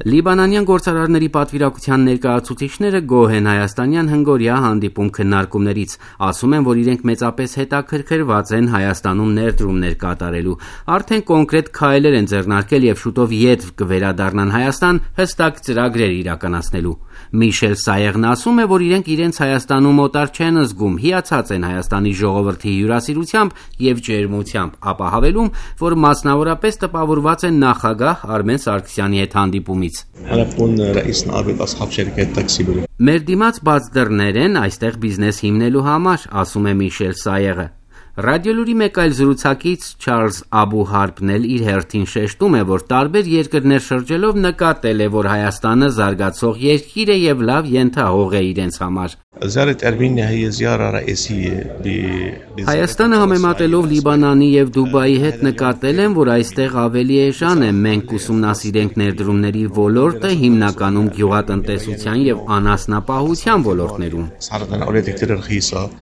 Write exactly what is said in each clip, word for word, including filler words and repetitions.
Լիբանանյան գործարարների պատվիրակության ներկայացուցիչները գոհ են հայաստանյան հնգօրյա հանդիպում քննարկումներից, ասում են, որ իրենք մեծապես հետաքրքրված են Հայաստանում ներդրումներ կատարելու, արդեն կոնկրետ քայլեր են ձեռնարկել եւ շուտով ետ կվերադառնան Հայաստան հստակ ծրագրեր իրականացնելու։ Միշել Սայեղն ասում է, որ իրենք իրենց Հայաստանում օտար չեն զգում, հիացած են Հայաստանի ժողովրդի հյուրասիրությամբ եւ ջերմությամբ, ապա հավելում, որ մասնավորապես տպավորված են նախագահ Արմեն Սարգսյանի հետ հանդիպումից։ Մեր դիմաց բաց դռներ են այստեղ բիզնես հիմնելու համար, ասում է Միշել Սայեղը։ Ռադիոլուրի մեկ այլ զրուցակից Չարլզ Աբուհարբն էլ իր հերթին շեշտում է, որ տարբեր երկրներ շրջելով նկատել է, որ Հայաստանը զարգացող երկիր է եւ լավ ենթահող է իրենց համար։ Հայաստանը համեմատելով Լիբանանի եւ Դուբայի հետ նկատել են, որ այստեղ ավելի էժան է, մենք ուսումնասիրենք ներդրումների ոլորտը հիմնականում գյուղատնտեսության եւ անասնապահության ոլորտներում։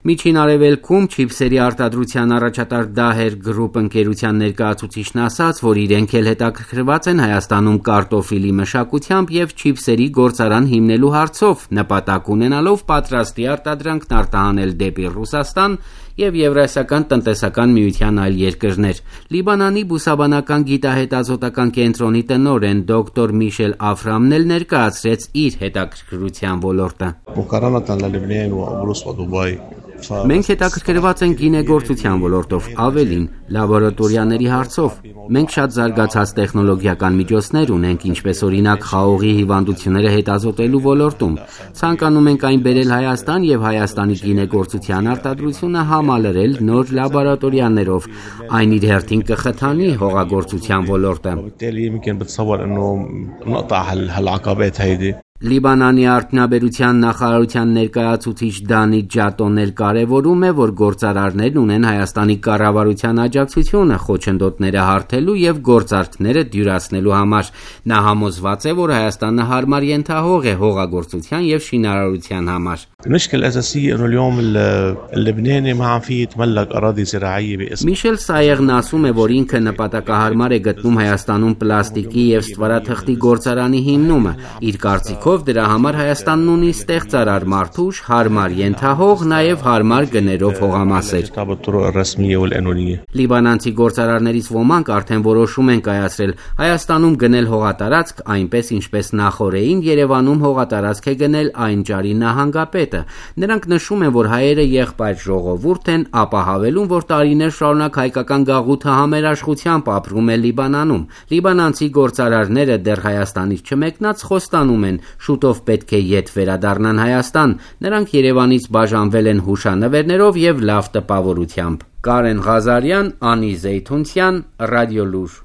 Միջին Արևելքում չիփսերի արտադրության առաջատար Դահեր Գրուպ ընկերության ներկայացուցիչն ասաց, որ իրենք էլ հետաքրքրված են Հայաստանում կարտոֆիլի մշակությամբ եւ չիփսերի գործարան հիմնելու հարցով, նպատակ ունենալով պատրաստի արտադրանքն արտահանել դեպի Ռուսաստան եւ Եվրասիական տնտեսական միության այլ երկրներ։ Լիբանանի բուսաբանական գիտահետազոտական կենտրոնի տնօրեն դոկտոր Միշել Աֆրամն էլ ներկայացրեց իր հետաքրքրության ոլորտը։ Մենք հետաքրքրված ենք գինեգործության ոլորտով, ավելին, լաբորատորիաների հարցով։ Մենք շատ զարգացած տեխնոլոգիական միջոցներ ունենք, ինչպես օրինակ խաղողի հիվանդությունները հետազոտելու ոլորտում։ Ցանկանում ենք այն բերել Հայաստան եւ Հայաստանի գինեգործության արտադրությունը համալրել նոր լաբորատորիաներով։ Այն իր հերթին կխթանի հողագործության ոլորտը։ Լիբանանի արդյունաբերության նախարարության ներկայացուցիչ Դանի Ջատոն էլ կարևորում է, որ գործարարներն ունեն Հայաստանի կառավարության աջակցությունը խոչընդոտները հարթելու եւ գործարքները դյուրացնելու համար։ Նա համոզված է, որ Հայաստանը հարմար ենթահող է հողագործության եւ շինարարության համար։ Միշել Սայեղն ասում է, որ ինքը նպատակահարմար է գտնում Հայաստանում պլաստիկի եւ ստվարաթղթի գործարանի հիմնումը։ Իր կարծիքով դրա համար Հայաստանն ունի ստեղծարար մարդուժ, հարմար ենթահող, նաեւ հարմար գներով հողամասեր։ Լիբանանցի գործարարներից ոմանք արդեն որոշում են կայացրել Հայաստանում գնել հողատարածք, այնպես ինչպես նախորդին Երևանում հողատարածք է գնել այն ճարի նահանգապետը։ Նրանք նշում են, որ հայերը եղբայր ժողովուրդ են, ապա հավելում, որ տարիներ շարունակ հայկական գաղութը համերաշխությամբ ապրում է Լիբանանում։ Լիբանանցի գործարարները դեռ Հայաստանից չմեկնած խոստանում են, շուտով պետք է ետ վերադառնան Հայաստան։ Նրանք Երևանից բաժանվել են հուշանվերներով եւ լավ տպավորությամբ։ Կարեն Ղազարյան, Անի Զեյթունցյան, Ռադիոլուր։